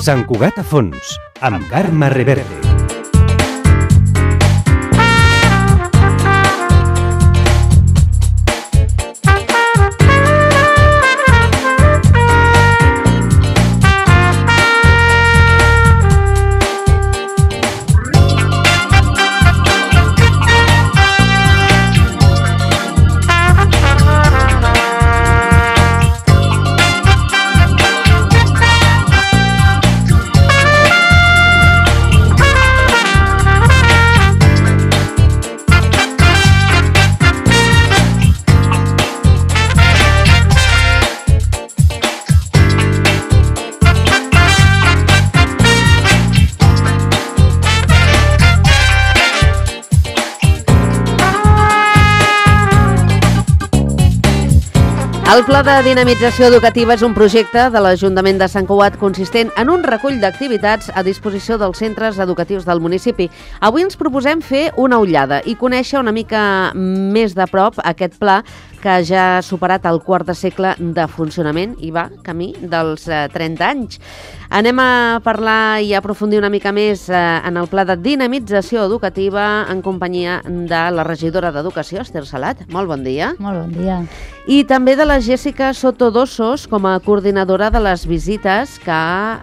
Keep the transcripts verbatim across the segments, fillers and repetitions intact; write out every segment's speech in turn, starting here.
Sant Cugat a fons, amb Carme Reverte. El Pla de Dinamització Educativa és un projecte de l'Ajuntament de Sant Cugat consistent en un recull d'activitats a disposició dels centres educatius del municipi. Avui ens proposem fer una ullada i conèixer una mica més de prop aquest pla que ja ha superat el quart de segle de funcionament i va camí dels eh, trenta anys. Anem a parlar i a aprofundir una mica més eh, en el Pla de Dinamització Educativa en companyia de la regidora d'Educació, Esther Salat. Molt bon dia. Molt bon dia. I també de la Jessica Sotodossos com a coordinadora de les visites que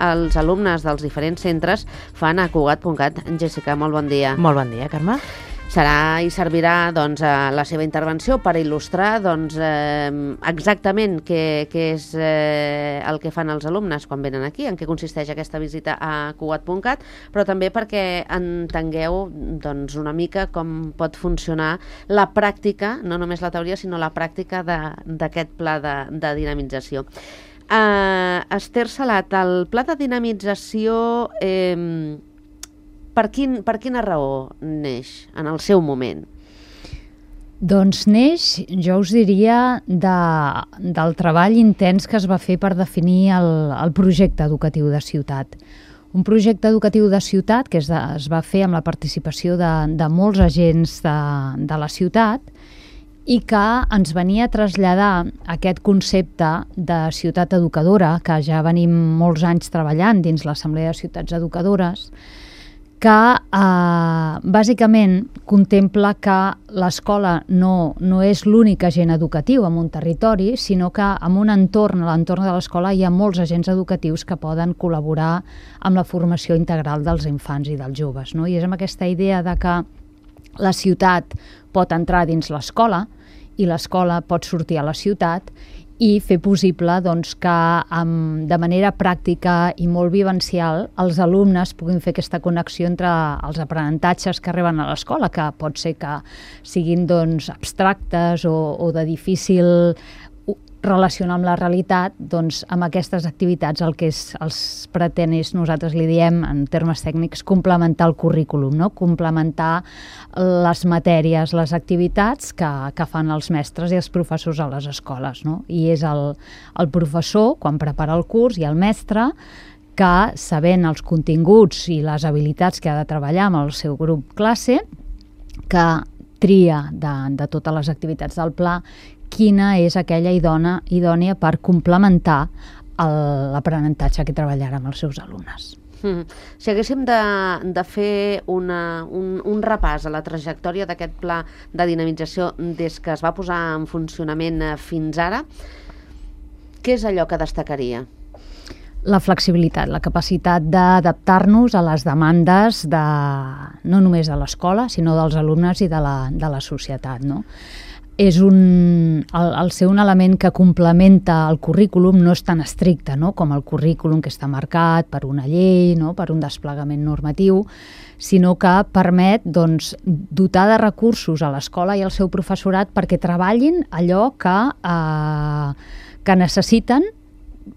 els alumnes dels diferents centres fan a Cugat punt cat. Jessica, molt bon dia. Molt bon dia, Carme. Serà i servirà doncs, a la seva intervenció per il·lustrar doncs, eh, exactament què, què és eh, el que fan els alumnes quan venen aquí, en què consisteix aquesta visita a Cugat punt cat, però també perquè entengueu doncs, una mica com pot funcionar la pràctica, no només la teoria, sinó la pràctica d'aquest pla de, de dinamització. Uh, Esther Salat, el pla de dinamització... Eh, Per, quin, per quina raó neix en el seu moment? Doncs neix, jo us diria, de, del treball intens que es va fer per definir el, el projecte educatiu de ciutat. Un projecte educatiu de ciutat que es, de, es va fer amb la participació de, de molts agents de, de la ciutat i que ens venia a traslladar aquest concepte de ciutat educadora, que ja venim molts anys treballant dins l'Assemblea de Ciutats Educadores, que eh, bàsicament contempla que l'escola no, no és l'únic agent educatiu en un territori, sinó que en un entorn, a l'entorn de l'escola, hi ha molts agents educatius que poden col·laborar amb la formació integral dels infants i dels joves. No? I és amb aquesta idea de que la ciutat pot entrar dins l'escola i l'escola pot sortir a la ciutat i fer possible doncs, que amb, de manera pràctica i molt vivencial els alumnes puguin fer aquesta connexió entre els aprenentatges que arriben a l'escola, que pot ser que siguin doncs, abstractes o, o de difícil relacionar amb la realitat, doncs amb aquestes activitats el que es, els pretén és, nosaltres li diem en termes tècnics, complementar el currículum, no? Complementar les matèries, les activitats que, que fan els mestres i els professors a les escoles. No? I és el, el professor, quan prepara el curs, i el mestre, que sabent els continguts i les habilitats que ha de treballar amb el seu grup classe, que tria de, de totes les activitats del pla quina és aquella idònia, idònia per complementar l'aprenentatge que treballarà amb els seus alumnes. Mm. Si haguéssim de, de fer una, un, un repàs a la trajectòria d'aquest pla de dinamització des que es va posar en funcionament fins ara, què és allò que destacaria? La flexibilitat, la capacitat d'adaptar-nos a les demandes de, no només de l'escola, sinó dels alumnes i de la, de la societat, no? És un, el, el ser un element que complementa el currículum no és tan estricte, no? Com el currículum que està marcat per una llei, no? Per un desplegament normatiu, sinó que permet doncs, dotar de recursos a l'escola i al seu professorat perquè treballin allò que, eh, que necessiten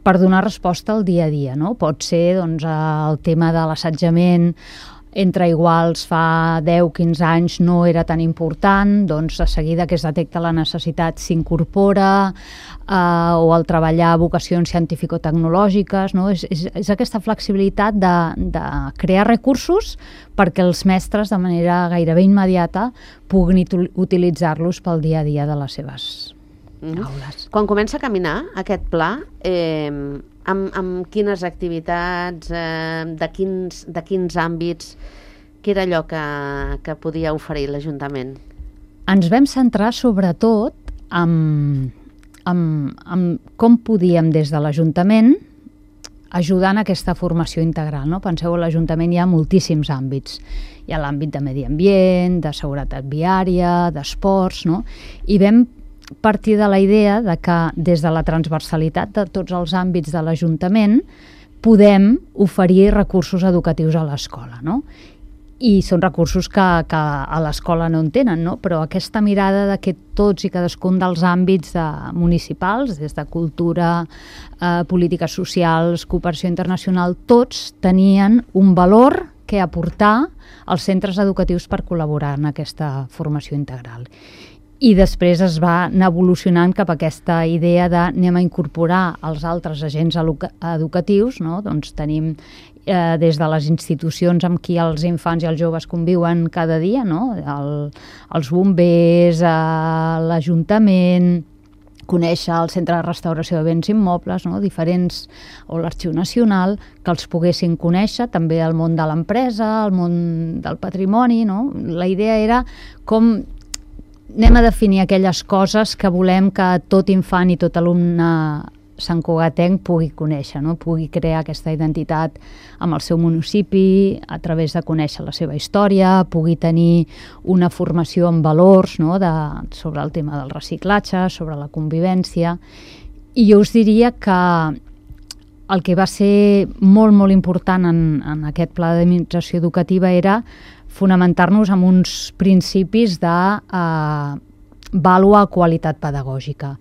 per donar resposta al dia a dia. No? Pot ser doncs, el tema de l'assetjament entre iguals fa deu a quinze anys no era tan important, doncs a seguida que es detecta la necessitat s'incorpora, eh, o el treballar vocacions científico-tecnològiques, no? és, és, és aquesta flexibilitat de, de crear recursos perquè els mestres de manera gairebé immediata puguin utilitzar-los pel dia a dia de les seves Mm-hmm. aules. Quan comença a caminar aquest pla, eh, amb, amb quines activitats, eh, de, quins, de quins àmbits, què era allò que, que podia oferir l'Ajuntament? Ens vam centrar sobretot en, en, en com podíem des de l'Ajuntament ajudar en aquesta formació integral. No? Penseu, a l'Ajuntament hi ha moltíssims àmbits. Hi ha l'àmbit de medi ambient, de seguretat viària, d'esports, no? I vam partir de la idea de que des de la transversalitat de tots els àmbits de l'Ajuntament podem oferir recursos educatius a l'escola, no? I són recursos que, que a l'escola no en tenen, no? Però aquesta mirada de que tots i cadascun dels àmbits de, municipals, des de cultura, eh, polítiques socials, cooperació internacional, tots tenien un valor que aportar als centres educatius per col·laborar en aquesta formació integral. I després es va anar evolucionant cap a aquesta idea de anem a incorporar els altres agents educatius, no? Doncs tenim eh, des de les institucions amb qui els infants i els joves conviuen cada dia, no? El, els bombers, eh, l'Ajuntament, conèixer el Centre de Restauració de Béns Immobles, no? Diferents, o l'Arxiu Nacional, que els poguessin conèixer, també el món de l'empresa, el món del patrimoni, no? La idea era com anem a definir aquelles coses que volem que tot infant i tot alumne santcugatenc pugui conèixer, no? Pugui crear aquesta identitat amb el seu municipi a través de conèixer la seva història, pugui tenir una formació en valors, no? De, sobre el tema del reciclatge, sobre la convivència. I jo us diria que el que va ser molt, molt important en, en aquest pla d'administració educativa era fonamentar-nos en uns principis de eh, vàlua qualitat pedagògica.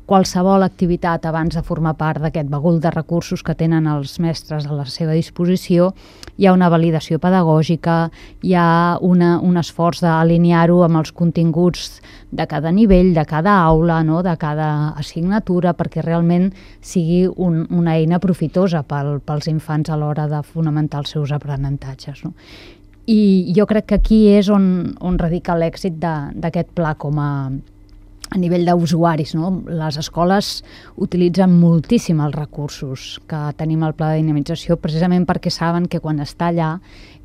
Qualsevol activitat abans de formar part d'aquest bagul de recursos que tenen els mestres a la seva disposició, hi ha una validació pedagògica, hi ha una, un esforç d'alinear-ho amb els continguts de cada nivell, de cada aula, no? De cada assignatura, perquè realment sigui un, una eina profitosa pel, pels infants a l'hora de fonamentar els seus aprenentatges, no? I jo crec que aquí és on, on radica l'èxit d'aquest pla com a, a nivell d'usuaris, no? Les escoles utilitzen moltíssim els recursos que tenim al pla de dinamització precisament perquè saben que quan està allà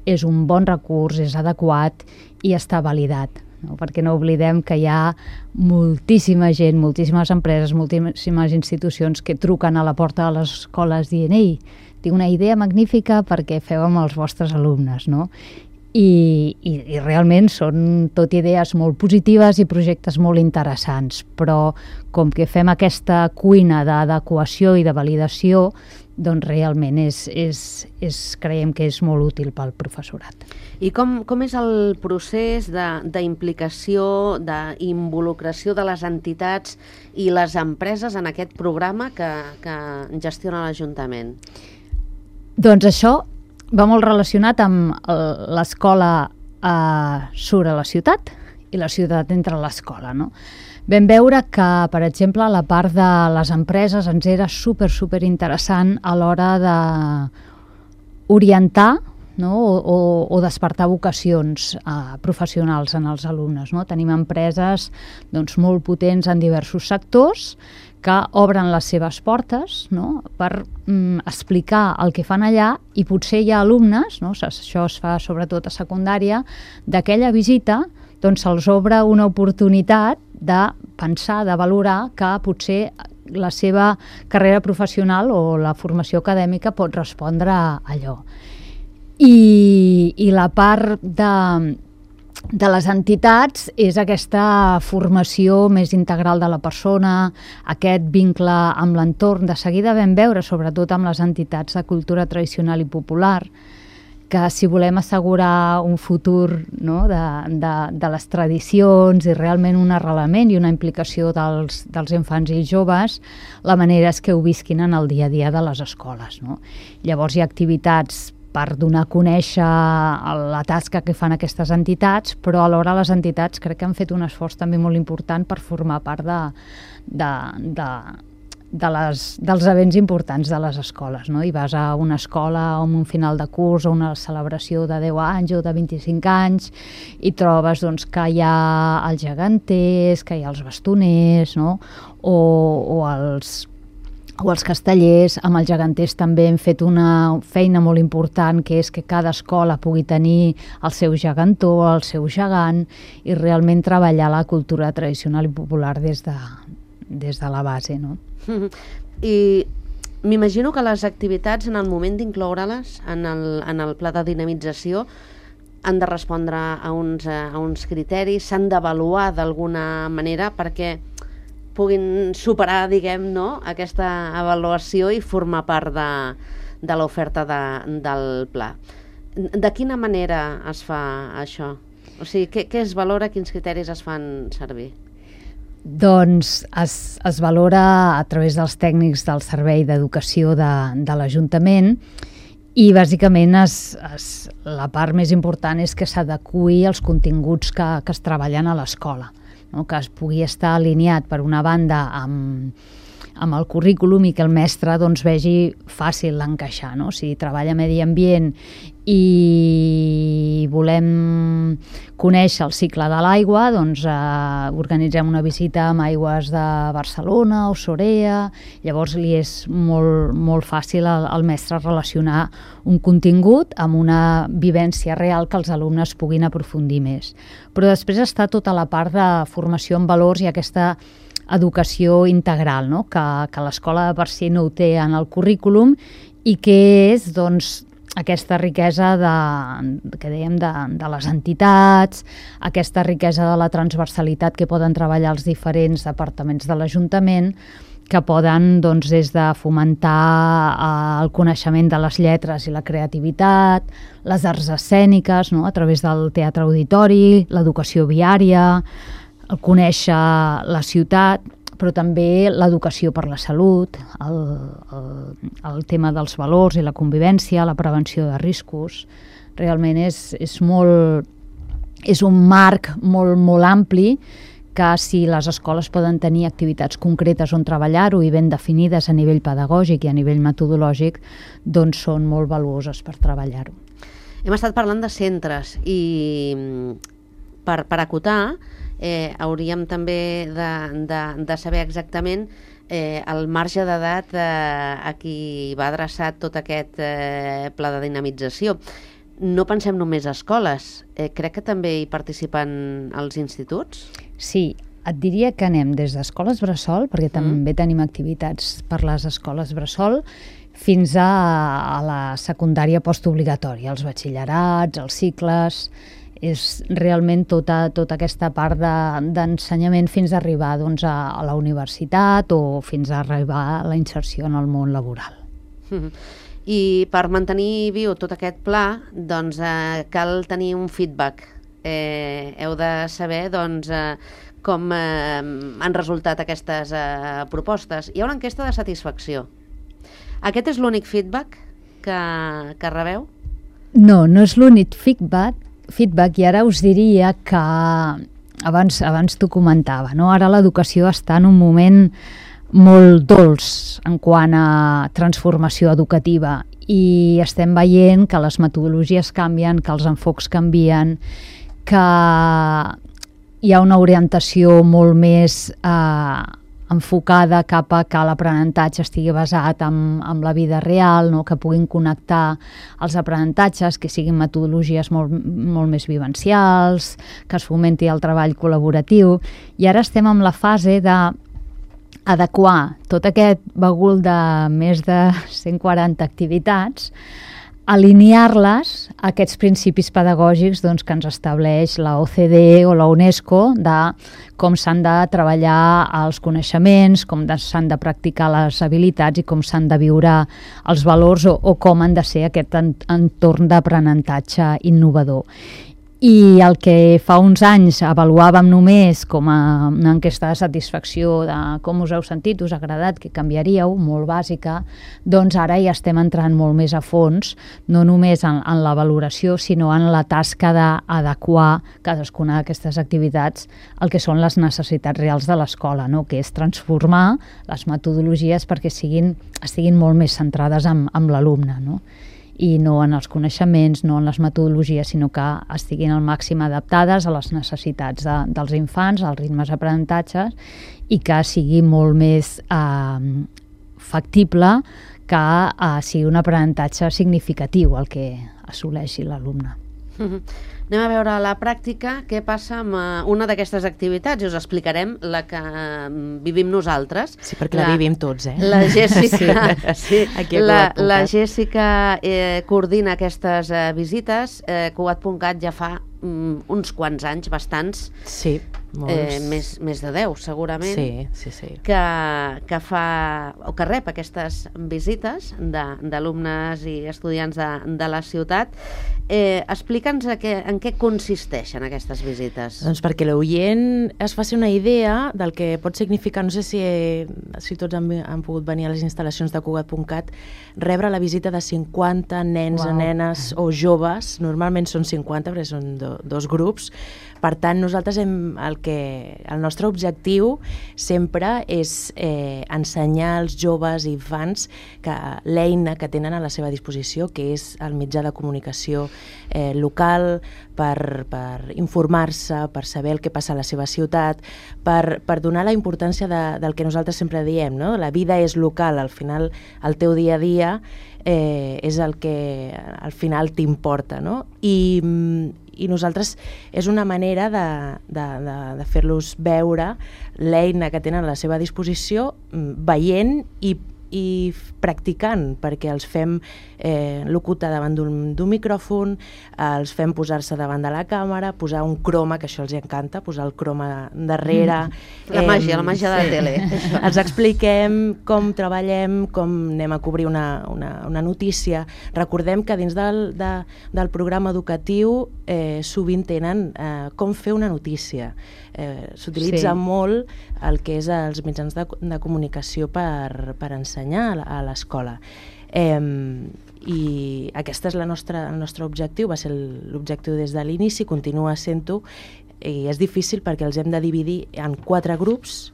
és un bon recurs, és adequat i està validat, no? Perquè no oblidem que hi ha moltíssima gent, moltíssimes empreses, moltíssimes institucions que truquen a la porta de les escoles dient «Ei, tinc una idea magnífica perquè feu amb els vostres alumnes», no? I, i, i realment són tot idees molt positives i projectes molt interessants, però com que fem aquesta cuina d'adequació i de validació, doncs realment és, és, és, creiem que és molt útil pel professorat. I com, com és el procés d'implicació, d'involucració de les entitats i les empreses en aquest programa que, que gestiona l'Ajuntament? Doncs això va molt relacionat amb l'escola eh, sobre la ciutat i la ciutat entre l'escola, no? Vam veure que, per exemple, la part de les empreses ens era super, super interessant a l'hora d'orientar, no? o, o, o despertar vocacions eh, professionals en els alumnes, no? Tenim empreses doncs, molt potents en diversos sectors que obren les seves portes, no? Per mm, explicar el que fan allà i potser hi ha alumnes, no? Això es fa sobretot a secundària, d'aquella visita doncs se'ls obre una oportunitat de pensar, de valorar que potser la seva carrera professional o la formació acadèmica pot respondre a allò. I, i la part de... de les entitats és aquesta formació més integral de la persona, aquest vincle amb l'entorn. De seguida vam veure, sobretot amb les entitats de cultura tradicional i popular, que si volem assegurar un futur, no, de, de, de les tradicions i realment un arrelament i una implicació dels, dels infants i joves, la manera és que ho visquin en el dia a dia de les escoles, no? Llavors hi ha activitats per donar a conèixer la tasca que fan aquestes entitats, però alhora les entitats crec que han fet un esforç també molt important per formar part de, de, de, de les, dels events importants de les escoles, no? I vas a una escola amb un final de curs o una celebració de deu anys o de vint-i-cinc anys i trobes doncs, que hi ha els geganters, que hi ha els bastoners, no? o, o els o els castellers. Amb els geganters també hem fet una feina molt important, que és que cada escola pugui tenir el seu gegantó, el seu gegant, i realment treballar la cultura tradicional i popular des de, des de la base, no? I m'imagino que les activitats, en el moment d'incloure-les en el, en el pla de dinamització, han de respondre a uns, a uns criteris, s'han d'avaluar d'alguna manera perquè puguin superar, diguem, no, aquesta avaluació i formar part de, de l'oferta de, del pla. De quina manera es fa això? O sigui, què, què es valora, quins criteris es fan servir? Doncs es, es valora a través dels tècnics del Servei d'Educació de, de l'Ajuntament, i bàsicament es, es, la part més important és que s'adeqüi als continguts que, que es treballen a l'escola, no? Que es pugui estar alineat per una banda amb, amb el currículum i que el mestre doncs, vegi fàcil l'encaixar, no? Si treballa medi ambient i volem conèixer el cicle de l'aigua, doncs eh, organitzem una visita amb aigües de Barcelona o Sorea. Llavors li és molt, molt fàcil al, al mestre relacionar un contingut amb una vivència real que els alumnes puguin aprofundir més. Però després està tota la part de formació en valors i aquesta educació integral, no? que, que l'escola per si no ho té en el currículum, i que és doncs, aquesta riquesa de, que dèiem de, de les entitats, aquesta riquesa de la transversalitat que poden treballar els diferents departaments de l'Ajuntament, que poden doncs, des de fomentar eh, el coneixement de les lletres i la creativitat, les arts escèniques, no? A través del teatre auditori, l'educació viària, el conèixer la ciutat, però també l'educació per la salut, el, el, el tema dels valors i la convivència, la prevenció de riscos. Realment és, és, molt, és un marc molt, molt ampli, que si les escoles poden tenir activitats concretes on treballar-ho i ben definides a nivell pedagògic i a nivell metodològic, doncs són molt valuoses per treballar-ho. Hem estat parlant de centres i per, per acotar, Eh, hauríem també de, de, de saber exactament eh, el marge d'edat eh, a qui va adreçat tot aquest eh, pla de dinamització. No pensem només a escoles, eh, crec que també hi participen els instituts? Sí, et diria que anem des d'escoles bressol, perquè també mm. tenim activitats per les escoles bressol, fins a, a la secundària postobligatòria, els batxillerats, els cicles. És realment tota, tota aquesta part d'ensenyament de, fins a arribar doncs, a, a la universitat o fins a arribar a la inserció en el món laboral. Mm-hmm. I per mantenir viu tot aquest pla, doncs, eh, cal tenir un feedback. Eh, heu de saber doncs, eh, com eh, han resultat aquestes eh, propostes. Hi ha una enquesta de satisfacció. Aquest és l'únic feedback que, que rebeu? No, no és l'únic feedback, feedback i ara us diria que abans, abans t'ho comentava, no? Ara l'educació està en un moment molt dolç en quant a transformació educativa i estem veient que les metodologies canvien, que els enfocs canvien, que hi ha una orientació molt més eh, enfocada cap a que l'aprenentatge estigui basat en, en la vida real, no? Que puguin connectar els aprenentatges, que siguin metodologies molt, molt més vivencials, que es fomenti el treball col·laboratiu. I ara estem en la fase de adequar tot aquest bagul de més de cent quaranta activitats, alinear-les a aquests principis pedagògics doncs, que ens estableix la O C D E o la UNESCO de com s'han de treballar els coneixements, com s'han de practicar les habilitats i com s'han de viure els valors o, o com han de ser aquest entorn d'aprenentatge innovador. I el que fa uns anys avaluàvem només com a una enquesta de satisfacció de com us heu sentit, us ha agradat, que canviaríeu, molt bàsica, doncs ara ja estem entrant molt més a fons, no només en, en la valoració, sinó en la tasca d'adequar cadascuna d'aquestes activitats al que són les necessitats reals de l'escola, no? Que és transformar les metodologies perquè siguin, estiguin molt més centrades en, en l'alumne, no? I no en els coneixements, no en les metodologies, sinó que estiguin al màxim adaptades a les necessitats de, dels infants, als ritmes d'aprenentatges, i que sigui molt més eh, factible que eh, sigui un aprenentatge significatiu el que assoleixi l'alumne. Mm-hmm. Anem a veure a la pràctica què passa amb uh, una d'aquestes activitats i us explicarem la que uh, vivim nosaltres. Sí, perquè la, la vivim tots, eh? La Jèssica, sí, Aquí la, la Jèssica eh, coordina aquestes eh, visites. Eh, Cugat punt cat ja fa um, uns quants anys, bastants. Sí, molts. Eh, més, més de deu, segurament. Sí, sí, sí. Que, que fa, o que rep aquestes visites d'alumnes i estudiants de, de la ciutat. Eh, Explica'ns en què consisteixen aquestes visites. Doncs perquè l'oient es faci una idea del que pot significar, no sé si, si tots han, han pogut venir a les instal·lacions de Cugat punt cat, rebre la visita de cinquanta nens Uau. o nenes o joves, normalment són cinquanta perquè són do, dos grups. Per tant, nosaltres hem, el, que, el nostre objectiu sempre és eh, ensenyar als joves i infants que l'eina que tenen a la seva disposició, que és el mitjà de comunicació eh, local, per, per informar-se, per saber el que passa a la seva ciutat, per, per donar la importància de, del que nosaltres sempre diem, no? La vida és local, al final el teu dia a dia eh, és el que al final t'importa, no? I, i nosaltres és una manera de, de, de, de fer-los veure l'eina que tenen a la seva disposició, veient i i practicant, perquè els fem eh, locutar davant d'un micròfon, eh, els fem posar-se davant de la càmera, posar un croma, que això els encanta, posar el croma darrere. Mm. La màgia, eh, la màgia de la tele. Els expliquem com treballem, com anem a cobrir una, una, una notícia. Recordem que dins del, de, del programa educatiu eh, sovint tenen eh, com fer una notícia. Eh, S'utilitza Sí. molt el que és els mitjans de, de comunicació per, per ensenyar a l'escola. Eh, I aquest és la nostra, el nostre objectiu, va ser l'objectiu des de l'inici, continua sent-ho, i és difícil perquè els hem de dividir en quatre grups.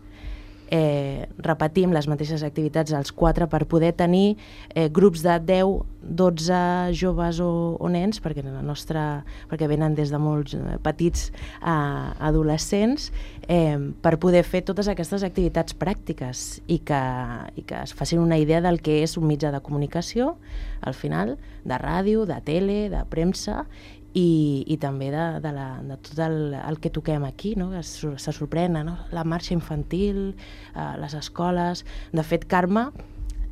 Eh, repetim les mateixes activitats als quatre per poder tenir eh, grups de deu, dotze joves o, o nens, perquè, la nostra, perquè venen des de molts petits a adolescents, eh, per poder fer totes aquestes activitats pràctiques i que, i que es facin una idea del que és un mitjà de comunicació, al final, de ràdio, de tele, de premsa, I, i també de, de, la, de tot el, el que toquem aquí, no? Que se, se sorprenen, no? La marxa infantil, eh, les escoles. De fet, Carme,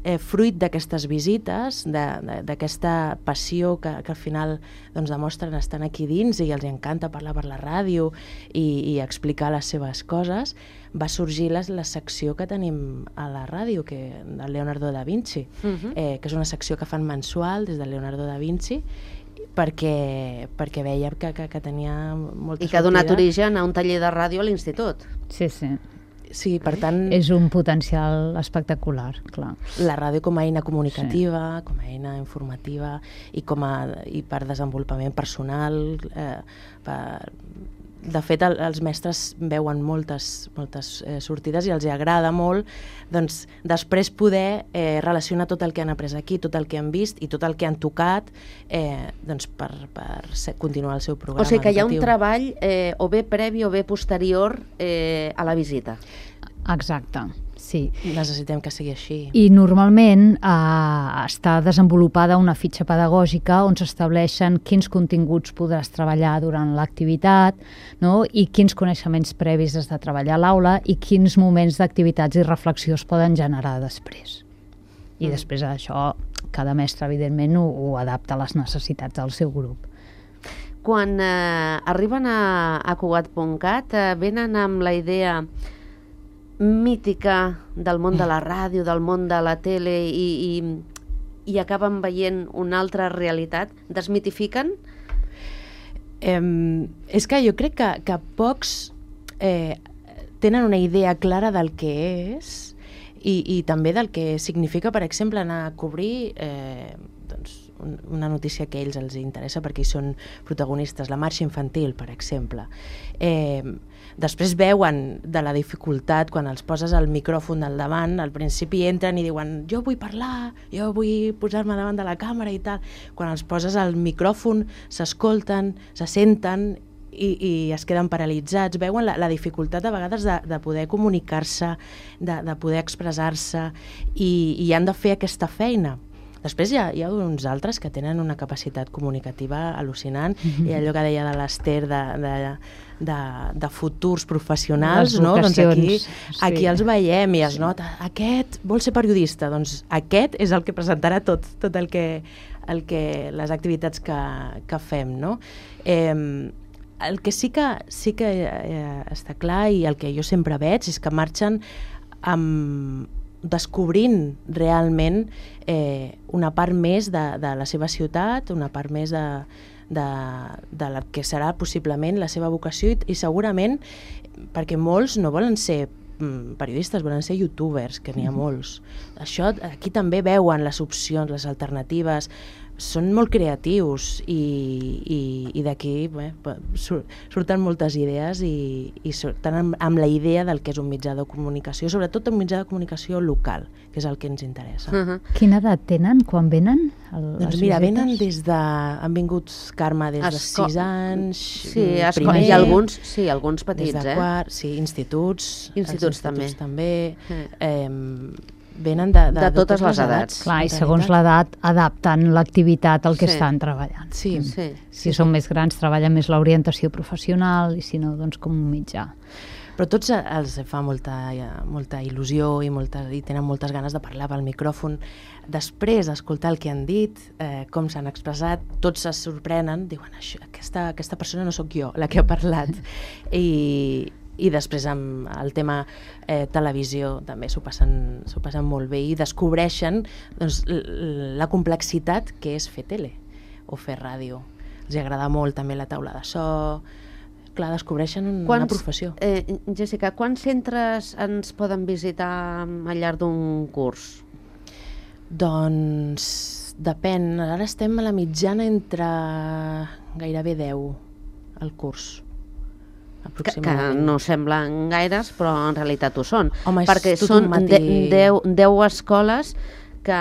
eh, fruit d'aquestes visites, d'aquesta passió que, que al final doncs, demostren estan aquí dins i els encanta parlar per la ràdio i, i explicar les seves coses, va sorgir la, la secció que tenim a la ràdio, que, de Leonardo da Vinci, uh-huh. eh, que és una secció que fan mensual des de Leonardo da Vinci, perquè, perquè veiem que, que, que tenia molta sortida. I que ha donat origen a un taller de ràdio a l'institut. Sí, sí. Sí, per tant... És un potencial espectacular, clar. La ràdio com a eina comunicativa, sí. com a eina informativa i, com a, i per desenvolupament personal. Eh, per... De fet, el, els mestres veuen moltes, moltes eh, sortides i els agrada molt doncs, després poder eh, relacionar tot el que han après aquí, tot el que han vist i tot el que han tocat eh, doncs, per, per ser, continuar el seu programa educatiu. O sigui que hi ha un treball eh, o bé previ o bé posterior eh, a la visita. Exacte, sí. Necessitem que sigui així. I normalment eh, està desenvolupada una fitxa pedagògica on s'estableixen quins continguts podràs treballar durant l'activitat, no? I quins coneixements previs has de treballar a l'aula i quins moments d'activitats i reflexió es poden generar després. I mm. després d'això, cada mestre, evidentment, ho, ho adapta a les necessitats del seu grup. Quan eh, arriben a, a Cugat punt cat, eh, venen amb la idea mítica del món de la ràdio, del món de la tele i, i, i acaben veient una altra realitat? Desmitifiquen? Eh, és que jo crec que, que pocs eh, tenen una idea clara del que és i, i també del que significa, per exemple, anar a cobrir eh, doncs, un, una notícia que a ells els interessa perquè hi són protagonistes, la marxa infantil, per exemple. Eh, Després veuen de la dificultat quan els poses el micròfon al davant, al principi entren i diuen jo vull parlar, jo vull posar-me davant de la càmera i tal. Quan els poses el micròfon s'escolten, se senten i, i es queden paralitzats. Veuen la, la dificultat a vegades de, de poder comunicar-se, de, de poder expressar-se i, i han de fer aquesta feina. Després hi ha, hi ha uns altres que tenen una capacitat comunicativa al·lucinant, mm-hmm. i allò que deia de l'Ester de, de, de, de futurs professionals, no? Doncs aquí, sí. aquí els veiem i es nota, aquest vol ser periodista, doncs aquest és el que presentarà tot, tot el que, el que, les activitats que, que fem, no? Eh, el que sí que, sí que eh, està clar i el que jo sempre veig és que marxen amb descobrint realment eh, una part més de, de la seva ciutat, una part més de, de, de la que serà possiblement la seva vocació i, i segurament perquè molts no volen ser mm, periodistes, volen ser youtubers, que n'hi ha molts. Això aquí també veuen les opcions, les alternatives, són molt creatius i, i, i d'aquí bé, surten moltes idees i, i surten amb, amb la idea del que és un mitjà de comunicació, sobretot un mitjà de comunicació local, que és el que ens interessa. Uh-huh. Quina edat tenen quan venen? El, doncs mira, venen des de... Han vingut, Carme, des de Esco... sis anys, sí, primer... I alguns, sí, alguns petits, des de eh? Quart, sí, instituts. Instituts, instituts també. també. Mm. Eh, venen de, de, de totes, totes les edats. Clar, i segons l'edat adapten l'activitat al que sí. estan treballant. Sí. Mm. Sí. Si sí, són sí. més grans treballen més l'orientació professional i si no, doncs com un mitjà. Però tots els fa molta, molta il·lusió i, molta, i tenen moltes ganes de parlar pel micròfon. Després d'escoltar el que han dit, eh, com s'han expressat, tots se sorprenen, diuen, aquesta, aquesta persona no sóc jo, la que ha parlat. I... i després amb el tema eh, televisió també s'ho passen, s'ho passen molt bé i descobreixen doncs, la complexitat que és fer tele o fer ràdio. Els agrada molt també la taula de so, clar, descobreixen un, quants, una professió. Eh, Jessica, quants centres ens poden visitar al llarg d'un curs? Doncs depèn, ara estem a la mitjana entre gairebé deu al curs. Que, que no semblen gaires, però en realitat ho són. Home, perquè són de, deu, deu escoles que,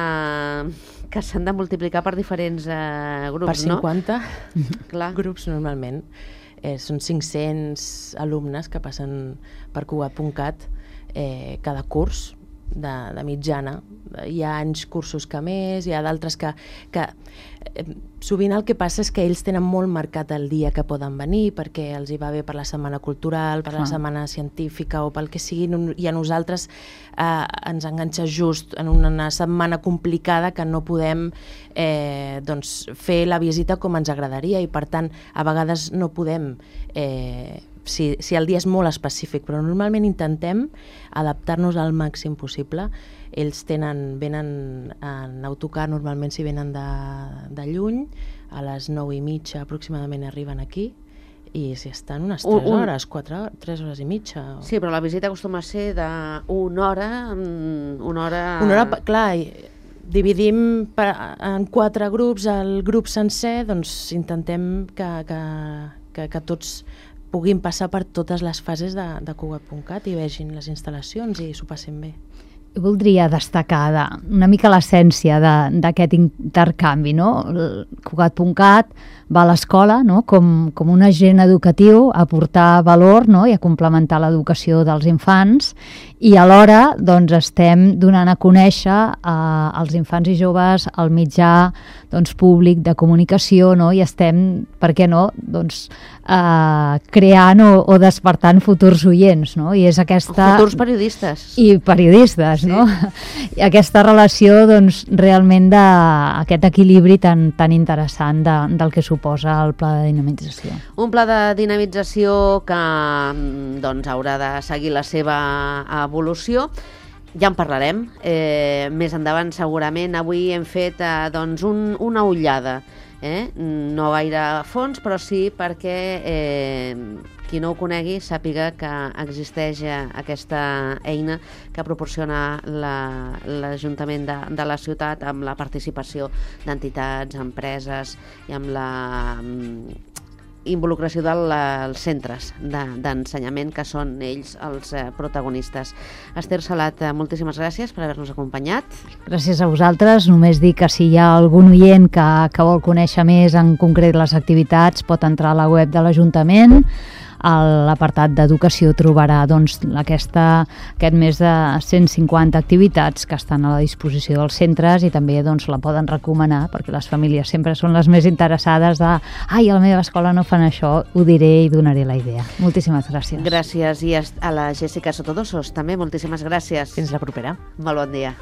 que s'han de multiplicar per diferents eh, grups, per cinquanta, no? Clar. Grups normalment. Eh, són cinc-cents alumnes que passen per Cugat punt cat eh, cada curs de, de mitjana. Hi ha anys cursos que més, hi ha d'altres que... que eh, sovint el que passa és que ells tenen molt marcat el dia que poden venir perquè els hi va bé per la setmana cultural, per ah. la setmana científica o pel que sigui, i a nosaltres eh, ens enganxa just en una setmana complicada que no podem eh, doncs, fer la visita com ens agradaria i per tant a vegades no podem... Eh, Si, si el dia és molt específic, però normalment intentem adaptar-nos al màxim possible. Ells tenen, venen en autocar, normalment si venen de, de lluny, a les nou i mitja aproximadament arriben aquí, i si estan unes tres un, hores, quatre hores, tres hores i mitja. O... Sí, però la visita acostuma a ser d'una hora, una hora... Una hora, clar, dividim per, en quatre grups el grup sencer, doncs intentem que, que, que, que tots puguin passar per totes les fases de, de Cugat punt cat i vegin les instal·lacions i s'ho passin bé. Jo voldria destacar de, una mica l'essència d'aquest intercanvi, no? Cugat punt cat va a l'escola, no? com, com un agent educatiu a aportar valor, no? I a complementar l'educació dels infants i alhora doncs, estem donant a conèixer eh, als infants i joves el mitjà doncs, públic de comunicació, no? I estem, per què no, doncs, eh, creant o, o despertant futurs oients, no? I és aquesta... Futurs periodistes. I periodistes, sí. No? I aquesta relació, doncs, realment d'aquest equilibri tan, tan interessant de, del que suposa el pla de dinamització. Un pla de dinamització que doncs, haurà de seguir la seva evolució. Ja en parlarem eh, més endavant segurament. Avui hem fet eh, doncs un, una ullada Eh? No gaire a fons, però sí perquè eh, qui no ho conegui sàpiga que existeix aquesta eina que proporciona l'Ajuntament la, de, de la ciutat amb la participació d'entitats, empreses i amb la involucració dels centres d'ensenyament, que són ells els protagonistes. Esther Salat, moltíssimes gràcies per haver-nos acompanyat. Gràcies a vosaltres. Només dir que si hi ha algun oient que, que vol conèixer més en concret les activitats, pot entrar a la web de l'Ajuntament. A l'apartat d'educació trobarà doncs, aquesta, aquest més de cent cinquanta activitats que estan a la disposició dels centres i també doncs, la poden recomanar, perquè les famílies sempre són les més interessades de ai, a la meva escola no fan això, ho diré i donaré la idea. Moltíssimes gràcies. Gràcies, i a la Jessica Sotodosos també, moltíssimes gràcies. Fins la propera. Molt bon dia.